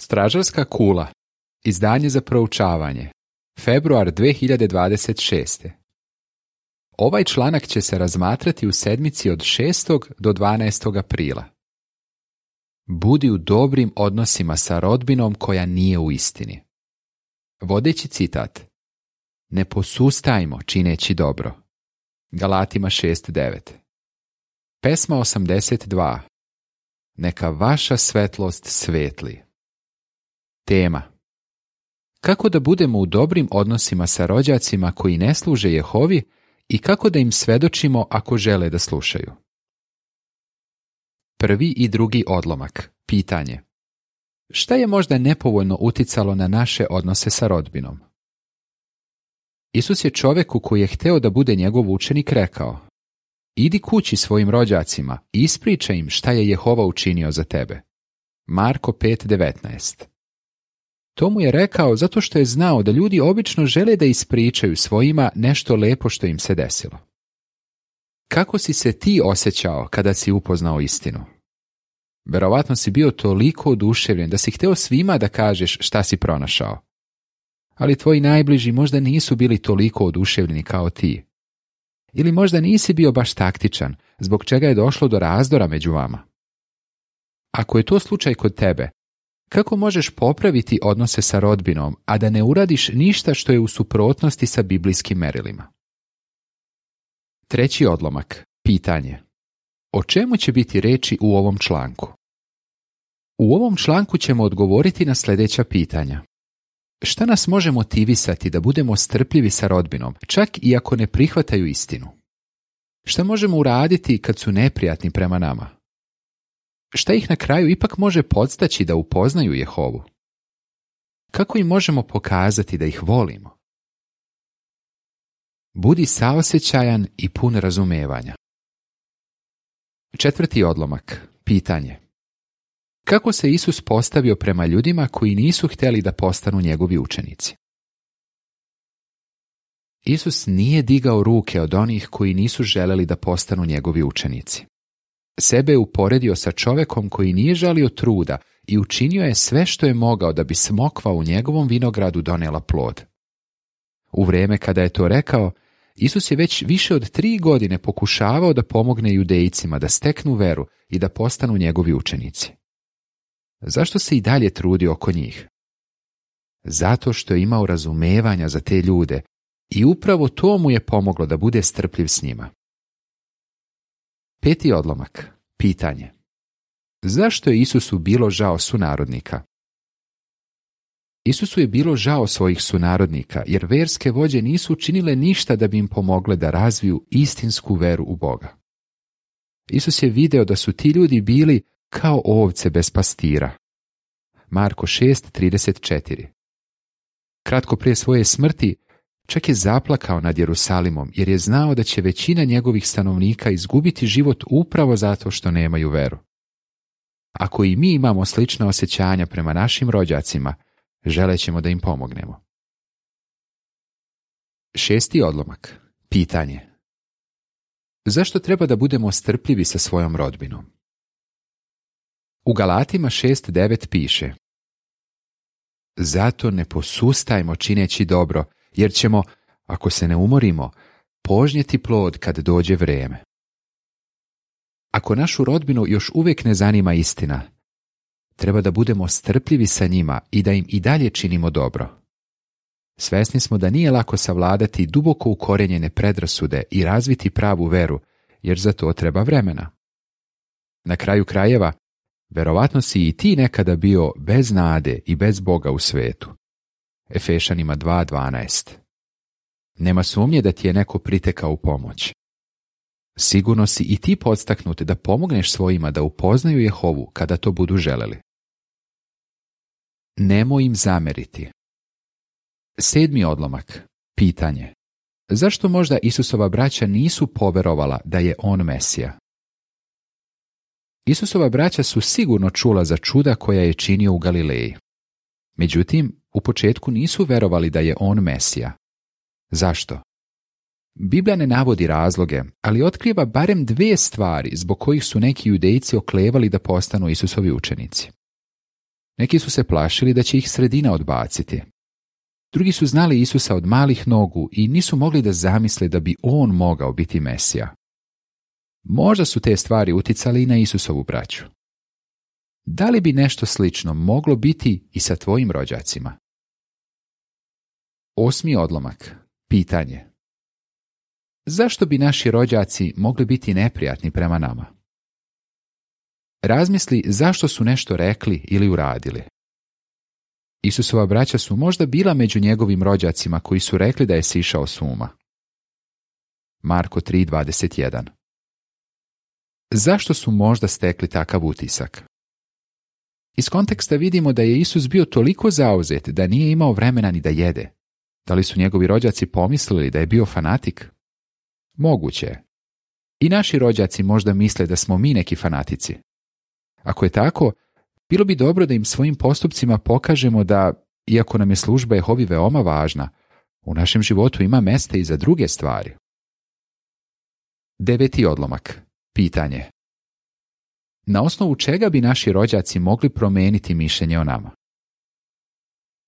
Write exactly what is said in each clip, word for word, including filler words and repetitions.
Stražarska kula. Izdanje za proučavanje. Februar dve hiljade dvadeset šeste. Ovaj članak će se razmatrati u sedmici od šestog do dvanaestog aprila. Budi u dobrim odnosima sa rodbinom koja nije u istini. Vodeći citat. Ne posustajmo čineći dobro. Galatima šest devet. Pesma osamdeset dva. Neka vaša svetlost svetli. Tema. Kako da budemo u dobrim odnosima sa rođacima koji ne služe Jehovi i kako da im svedočimo ako žele da slušaju. Prvi i drugi odlomak. Pitanje. Šta je možda nepovoljno uticalo na naše odnose sa rodbinom? Isus je čoveku koji je hteo da bude njegov učenik rekao: idi kući svojim rođacima i ispričaj im šta je Jehova učinio za tebe. Marko pet devetnaest. To mu je rekao zato što je znao da ljudi obično žele da ispričaju svojima nešto lepo što im se desilo. Kako si se ti osjećao kada si upoznao istinu? Verovatno si bio toliko oduševljen da si hteo svima da kažeš šta si pronašao. Ali tvoji najbliži možda nisu bili toliko oduševljeni kao ti. Ili možda nisi bio baš taktičan, zbog čega je došlo do razdora među vama. Ako je to slučaj kod tebe, kako možeš popraviti odnose sa rodbinom, a da ne uradiš ništa što je u suprotnosti sa biblijskim merilima? Treći odlomak. Pitanje. O čemu će biti reči u ovom članku? U ovom članku ćemo odgovoriti na sljedeća pitanja. Šta nas može motivisati da budemo strpljivi sa rodbinom, čak i ako ne prihvataju istinu? Šta možemo uraditi kad su neprijatni prema nama? Šta ih na kraju ipak može podstaći da upoznaju Jehovu? Kako im možemo pokazati da ih volimo? Budi saosjećajan i pun razumevanja. Četvrti odlomak. Pitanje. Kako se Isus postavio prema ljudima koji nisu htjeli da postanu njegovi učenici? Isus nije digao ruke od onih koji nisu želeli da postanu njegovi učenici. Sebe je uporedio sa čovekom koji nije žalio truda i učinio je sve što je mogao da bi smokva u njegovom vinogradu donela plod. U vrijeme kada je to rekao, Isus je već više od tri godine pokušavao da pomogne Judejcima da steknu veru i da postanu njegovi učenici. Zašto se i dalje trudio oko njih? Zato što je imao razumevanja za te ljude i upravo to mu je pomoglo da bude strpljiv s njima. Peti odlomak. Pitanje. Zašto je Isusu bilo žao sunarodnika? Isusu je bilo žao svojih sunarodnika, jer verske vođe nisu učinile ništa da bi im pomogle da razviju istinsku veru u Boga. Isus je video da su ti ljudi bili kao ovce bez pastira. Marko šest trideset četiri. Kratko prije svoje smrti, čak je zaplakao nad Jerusalimom, jer je znao da će većina njegovih stanovnika izgubiti život upravo zato što nemaju veru. Ako i mi imamo slična osjećanja prema našim rođacima, želećemo da im pomognemo. Šesti odlomak. Pitanje. Zašto treba da budemo strpljivi sa svojom rodbinom? U Galatima šest devet piše: zato ne posustajmo čineći dobro, jer ćemo, ako se ne umorimo, požnjeti plod kad dođe vrijeme. Ako našu rodbinu još uvijek ne zanima istina, treba da budemo strpljivi sa njima i da im i dalje činimo dobro. Svesni smo da nije lako savladati duboko ukorenjene predrasude i razviti pravu veru, jer za to treba vremena. Na kraju krajeva, verovatno si i ti nekada bio bez nade i bez Boga u svetu. Efešanima dva dvanaest. Nema sumnje da ti je neko pritekao u pomoć. Sigurno si i ti podstaknut da pomogneš svojima da upoznaju Jehovu kada to budu želeli. Nemoj im zameriti. Sedmi odlomak. Pitanje. Zašto možda Isusova braća nisu poverovala da je on Mesija? Isusova braća su sigurno čula za čuda koja je činio u Galileji. Međutim, u početku nisu verovali da je on Mesija. Zašto? Biblija ne navodi razloge, ali otkriva barem dvije stvari zbog kojih su neki Judejci oklevali da postanu Isusovi učenici. Neki su se plašili da će ih sredina odbaciti. Drugi su znali Isusa od malih nogu i nisu mogli da zamisle da bi on mogao biti Mesija. Možda su te stvari uticali i na Isusovu braću. Da li bi nešto slično moglo biti i sa tvojim rođacima? Osmi odlomak. Pitanje. Zašto bi naši rođaci mogli biti neprijatni prema nama? Razmisli zašto su nešto rekli ili uradili. Isusova braća su možda bila među njegovim rođacima koji su rekli da je sišao s uma. Marko tri dvadeset jedan. Zašto su možda stekli takav utisak? Iz konteksta vidimo da je Isus bio toliko zauzet da nije imao vremena ni da jede. Da li su njegovi rođaci pomislili da je bio fanatik? Moguće je. I naši rođaci možda misle da smo mi neki fanatici. Ako je tako, bilo bi dobro da im svojim postupcima pokažemo da, iako nam je služba Jehovi veoma važna, u našem životu ima mesta i za druge stvari. Deveti odlomak. Pitanje. Na osnovu čega bi naši rođaci mogli promeniti mišljenje o nama?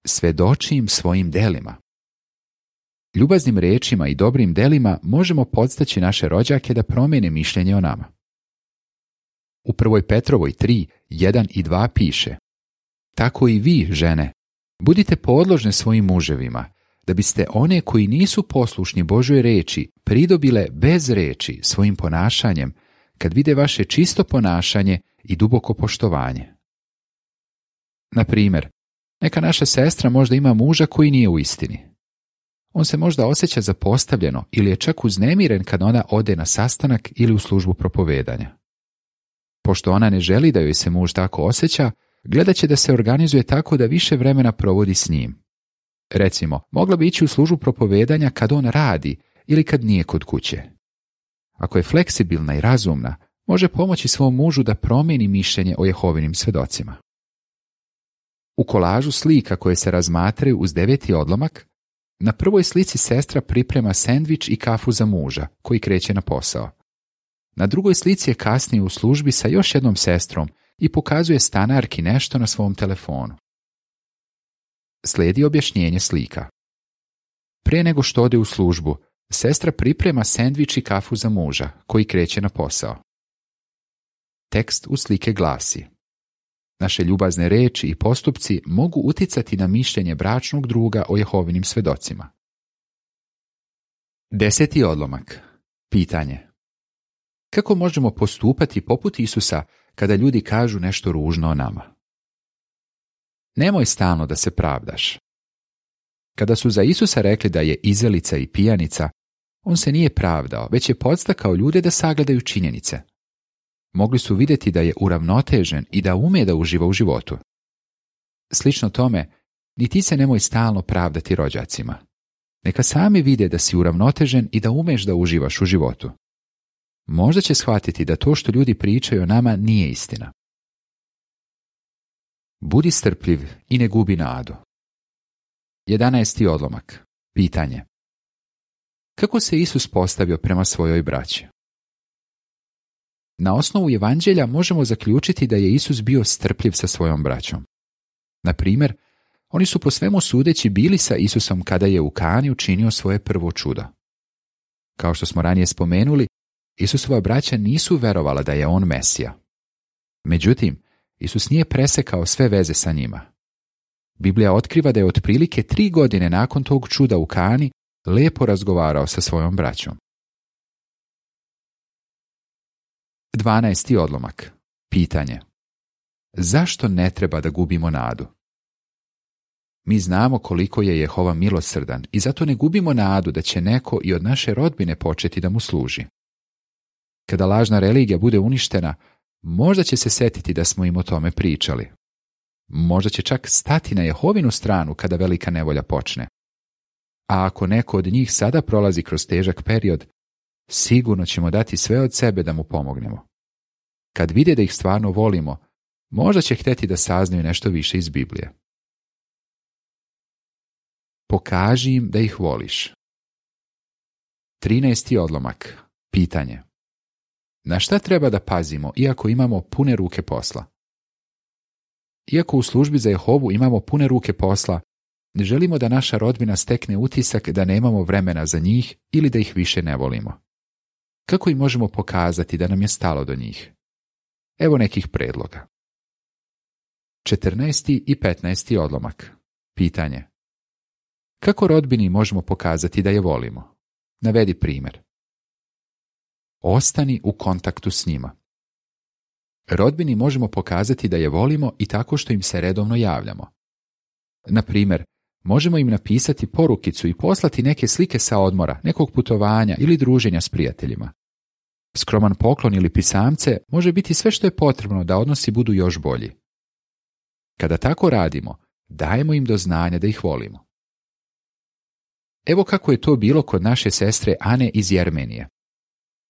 Svedoči im svojim delima. Ljubaznim rečima i dobrim delima možemo podstaći naše rođake da promene mišljenje o nama. U prvoj Petrovoj tri, jedan i dva piše: Tako i vi, žene, budite podložne svojim muževima, da biste one koji nisu poslušni Božoj reči pridobile bez reči svojim ponašanjem, kad vide vaše čisto ponašanje i duboko poštovanje. Na primjer, neka naša sestra možda ima muža koji nije u istini. On se možda osjeća zapostavljeno ili je čak uznemiren kad ona ode na sastanak ili u službu propovedanja. Pošto ona ne želi da joj se muž tako osjeća, gledat će da se organizuje tako da više vremena provodi s njim. Recimo, mogla bi ići u službu propovedanja kad on radi ili kad nije kod kuće. Ako je fleksibilna i razumna, može pomoći svom mužu da promijeni mišljenje o Jehovinim svedocima. U kolažu slika koje se razmatraju uz deveti odlomak, na prvoj slici sestra priprema sendvič i kafu za muža, koji kreće na posao. Na drugoj slici je kasnije u službi sa još jednom sestrom i pokazuje stanarki nešto na svom telefonu. Slijedi objašnjenje slika. Pre nego što ode u službu, sestra priprema sendvič i kafu za muža, koji kreće na posao. Tekst u slike glasi: Naše ljubazne reči i postupci mogu uticati na mišljenje bračnog druga o Jehovinim svedocima. Deseti odlomak. Pitanje. Kako možemo postupati poput Isusa kada ljudi kažu nešto ružno o nama? Nemoj stalno da se pravdaš. Kada su za Isusa rekli da je izelica i pijanica, on se nije pravdao, već je podstakao ljude da sagledaju činjenice. Mogli su vidjeti da je uravnotežen i da ume da uživa u životu. Slično tome, ni ti se nemoj stalno pravdati rođacima. Neka sami vide da si uravnotežen i da umeš da uživaš u životu. Možda će shvatiti da to što ljudi pričaju o nama nije istina. Budi strpljiv i ne gubi nadu. Jedanaesti odlomak. Pitanje. Kako se Isus postavio prema svojoj braći? Na osnovu evanđelja možemo zaključiti da je Isus bio strpljiv sa svojom braćom. Na primjer, oni su po svemu sudeći bili sa Isusom kada je u Kani učinio svoje prvo čudo. Kao što smo ranije spomenuli, Isusova braća nisu verovala da je on Mesija. Međutim, Isus nije presekao sve veze sa njima. Biblija otkriva da je otprilike tri godine nakon tog čuda u Kani lepo razgovarao sa svojom braćom. Dvanaesti odlomak. Pitanje. Zašto ne treba da gubimo nadu? Mi znamo koliko je Jehova milosrdan i zato ne gubimo nadu da će neko i od naše rodbine početi da mu služi. Kada lažna religija bude uništena, možda će se setiti da smo im o tome pričali. Možda će čak stati na Jehovinu stranu kada velika nevolja počne. A ako neko od njih sada prolazi kroz težak period, sigurno ćemo dati sve od sebe da mu pomognemo. Kad vide da ih stvarno volimo, možda će hteti da saznaju nešto više iz Biblije. Pokaži im da ih voliš. Trinaesti odlomak. Pitanje. Na šta treba da pazimo iako imamo pune ruke posla? Iako u službi za Jehovu imamo pune ruke posla, ne želimo da naša rodbina stekne utisak da nemamo vremena za njih ili da ih više ne volimo. Kako im možemo pokazati da nam je stalo do njih? Evo nekih predloga. četrnaesti i petnaesti odlomak. Pitanje. Kako rodbini možemo pokazati da je volimo? Navedi primjer. Ostani u kontaktu s njima. Rodbini možemo pokazati da je volimo i tako što im se redovno javljamo. Na primjer, možemo im napisati porukicu i poslati neke slike sa odmora, nekog putovanja ili druženja s prijateljima. Skroman poklon ili pisamce može biti sve što je potrebno da odnosi budu još bolji. Kada tako radimo, dajemo im do znanja da ih volimo. Evo kako je to bilo kod naše sestre Ane iz Jermenije.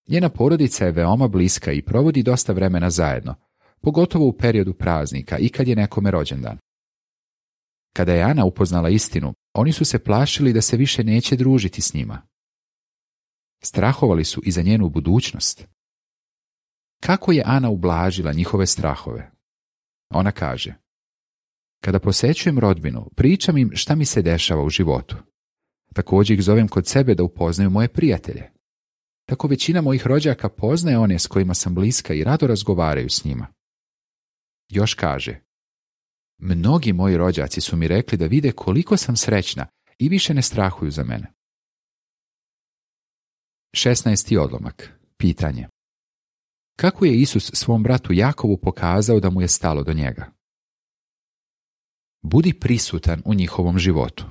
Njena porodica je veoma bliska i provodi dosta vremena zajedno, pogotovo u periodu praznika i kad je nekome rođendan. Kada je Ana upoznala istinu, oni su se plašili da se više neće družiti s njima. Strahovali su i za njenu budućnost. Kako je Ana ublažila njihove strahove? Ona kaže: kada posećujem rodbinu, pričam im šta mi se dešava u životu. Također ih zovem kod sebe da upoznaju moje prijatelje. Tako većina mojih rođaka poznaje one s kojima sam bliska i rado razgovaraju s njima. Još kaže: mnogi moji rođaci su mi rekli da vide koliko sam srećna i više ne strahuju za mene. šesnaesti odlomak. Pitanje. Kako je Isus svom bratu Jakovu pokazao da mu je stalo do njega? Budi prisutan u njihovom životu.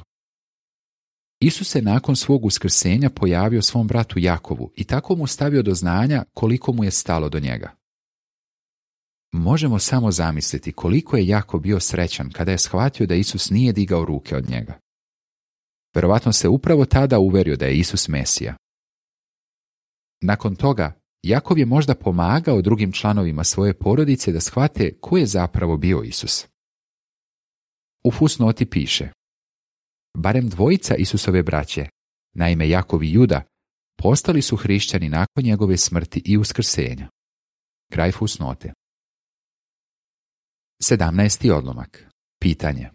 Isus se nakon svog uskrsenja pojavio svom bratu Jakovu i tako mu stavio do znanja koliko mu je stalo do njega. Možemo samo zamisliti koliko je Jakov bio srećan kada je shvatio da Isus nije digao ruke od njega. Verovatno se upravo tada uverio da je Isus Mesija. Nakon toga, Jakov je možda pomagao drugim članovima svoje porodice da shvate ko je zapravo bio Isus. U fusnoti piše: barem dvojica Isusove braće, naime Jakov i Juda, postali su hrišćani nakon njegove smrti i uskrsenja. Kraj fusnote. sedamnaesti odlomak. Pitanje.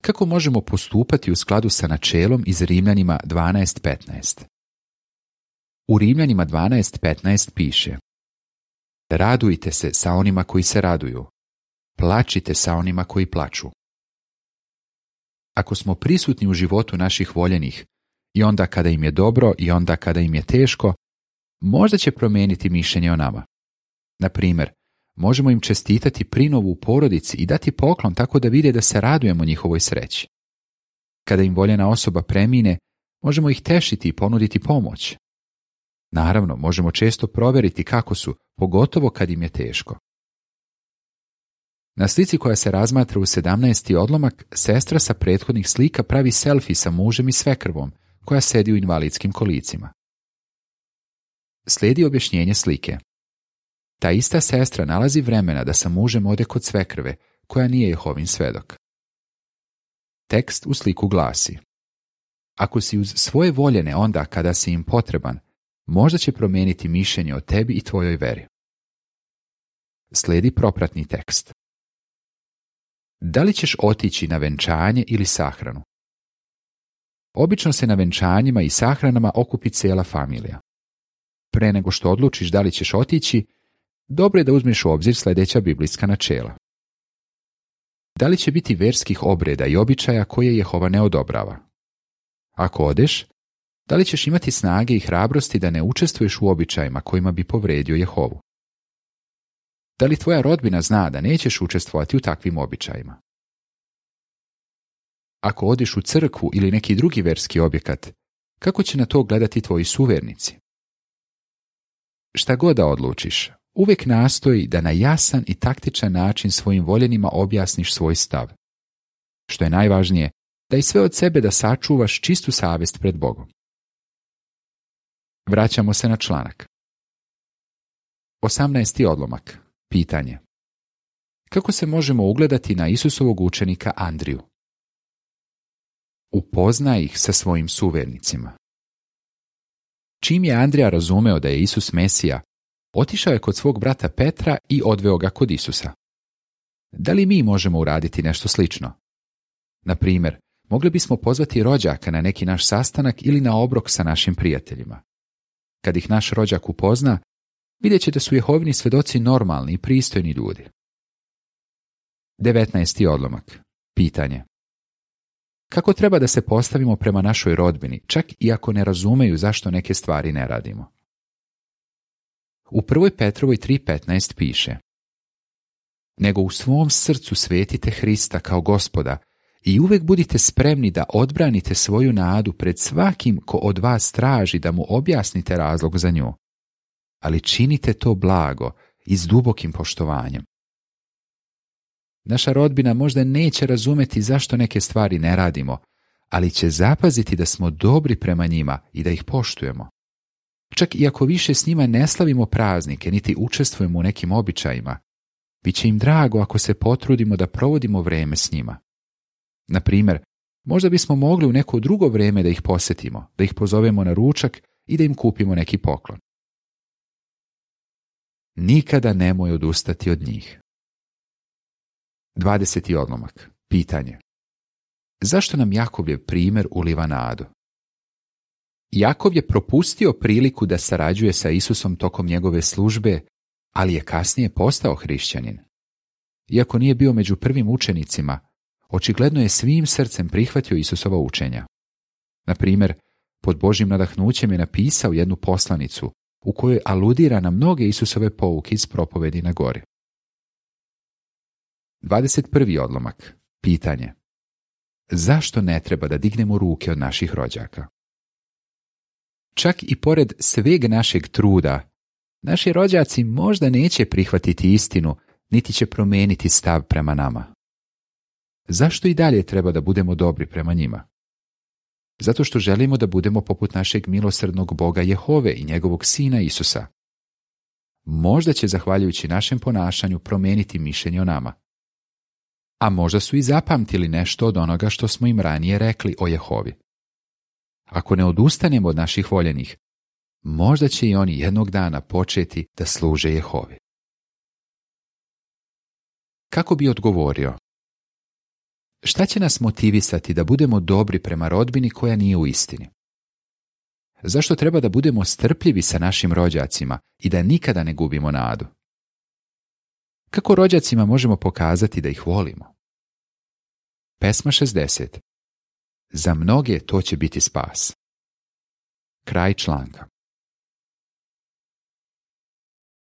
Kako možemo postupati u skladu sa načelom iz Rimljanima dvanaest petnaest? U Rimljanima dvanaest petnaest piše: radujte se sa onima koji se raduju, plačite sa onima koji plaču. Ako smo prisutni u životu naših voljenih, i onda kada im je dobro i onda kada im je teško, možda će promijeniti mišljenje o nama. Na primjer, možemo im čestitati prinovu u porodici i dati poklon tako da vide da se radujemo njihovoj sreći. Kada im voljena osoba premine, možemo ih tešiti i ponuditi pomoć. Naravno, možemo često provjeriti kako su, pogotovo kad im je teško. Na slici koja se razmatra u sedamnaesti odlomak, sestra sa prethodnih slika pravi selfie sa mužem i svekrvom, koja sedi u invalidskim kolicima. Slijedi objašnjenje slike. Ta ista sestra nalazi vremena da sa mužem ode kod svekrve, koja nije Jehovin svedok. Tekst u sliku glasi: ako si uz svoje voljene onda kada si im potreban, možda će promijeniti mišljenje o tebi i tvojoj veri. Slijedi propratni tekst. Da li ćeš otići na venčanje ili sahranu? Obično se na venčanjima i sahranama okupi cijela familija. Pre nego što odlučiš da li ćeš otići, dobro je da uzmeš u obzir sljedeća biblijska načela. Da li će biti verskih obreda i običaja koje Jehova ne odobrava? Ako odeš, da li ćeš imati snage i hrabrosti da ne učestvuješ u običajima kojima bi povredio Jehovu? Da li tvoja rodbina zna da nećeš učestvovati u takvim običajima? Ako odiš u crkvu ili neki drugi verski objekat, kako će na to gledati tvoji suvernici? Šta god da odlučiš, uvijek nastoji da na jasan i taktičan način svojim voljenima objasniš svoj stav. Što je najvažnije, da i sve od sebe da sačuvaš čistu savjest pred Bogom. Vraćamo se na članak. osamnaesti odlomak. Pitanje. Kako se možemo ugledati na Isusovog učenika Andriju? Upoznaj ih sa svojim suvernicima. Čim je Andrija razumeo da je Isus Mesija, otišao je kod svog brata Petra i odveo ga kod Isusa. Da li mi možemo uraditi nešto slično? Na primjer, mogli bismo pozvati rođaka na neki naš sastanak ili na obrok sa našim prijateljima. Kad ih naš rođak upozna, vidjet će da su Jehovini svjedoci normalni i pristojni ljudi. devetnaesti odlomak. Pitanje. Kako treba da se postavimo prema našoj rodbini, čak i ako ne razumeju zašto neke stvari ne radimo? U prvoj Petrovoj tri petnaest piše: Nego u svom srcu svetite Hrista kao Gospoda i uvek budite spremni da odbranite svoju nadu pred svakim ko od vas traži da mu objasnite razlog za nju. Ali činite to blago i s dubokim poštovanjem. Naša rodbina možda neće razumeti zašto neke stvari ne radimo, ali će zapaziti da smo dobri prema njima i da ih poštujemo. Čak i ako više s njima ne slavimo praznike, niti učestvujemo u nekim običajima, bit će im drago ako se potrudimo da provodimo vreme s njima. Na primjer, možda bismo mogli u neko drugo vrijeme da ih posjetimo, da ih pozovemo na ručak i da im kupimo neki poklon. Nikada nemoj odustati od njih. dvadeseti odlomak. Pitanje. Zašto nam Jakovljev primjer uliva nadu? Jakov je propustio priliku da sarađuje sa Isusom tokom njegove službe, ali je kasnije postao hrišćanin. Iako nije bio među prvim učenicima, očigledno je svim srcem prihvatio Isusova učenja. Na primjer, pod Božjim nadahnućem je napisao jednu poslanicu u kojoj aludira na mnoge Isusove pouke iz propovedi na gori. dvadeset prvi odlomak. Pitanje. Zašto ne treba da dignemo ruke od naših rođaka? Čak i pored sveg našeg truda, naši rođaci možda neće prihvatiti istinu, niti će promijeniti stav prema nama. Zašto i dalje treba da budemo dobri prema njima? Zato što želimo da budemo poput našeg milosrdnog Boga Jehove i njegovog Sina Isusa. Možda će, zahvaljujući našem ponašanju, promijeniti mišljenje o nama. A možda su i zapamtili nešto od onoga što smo im ranije rekli o Jehovi. Ako ne odustanemo od naših voljenih, možda će i oni jednog dana početi da služe Jehovi. Kako bi odgovorio? Šta će nas motivisati da budemo dobri prema rodbini koja nije u istini? Zašto treba da budemo strpljivi sa našim rođacima i da nikada ne gubimo nadu? Kako rođacima možemo pokazati da ih volimo? Pesma šezdeset. Za mnoge to će biti spas. Kraj članka.